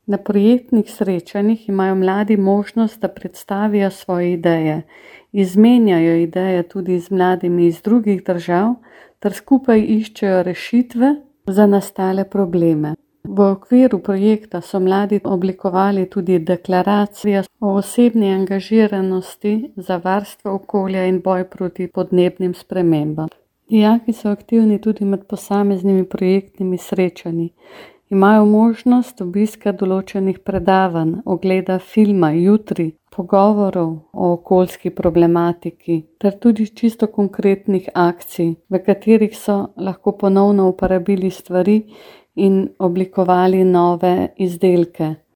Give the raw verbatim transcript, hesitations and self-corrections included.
Na projektnih srečanjih imajo mladi možnost, da predstavijo svoje ideje, izmenjajo ideje tudi z mladimi iz drugih držav ter skupaj iščejo rešitve za nastale probleme. V okviru projekta so mladi oblikovali tudi deklaracijo o osebni angažiranosti za varstvo okolja in boj proti podnebnim spremembam. Dijaki so aktivni tudi med posameznimi projektnimi srečanji. Imajo možnost obiska določenih predavanj, ogleda filma Jutri, pogovorov o okoljski problematiki ter tudi čisto konkretnih akcij, v katerih so lahko ponovno uporabili stvari in oblikovali nove izdelke.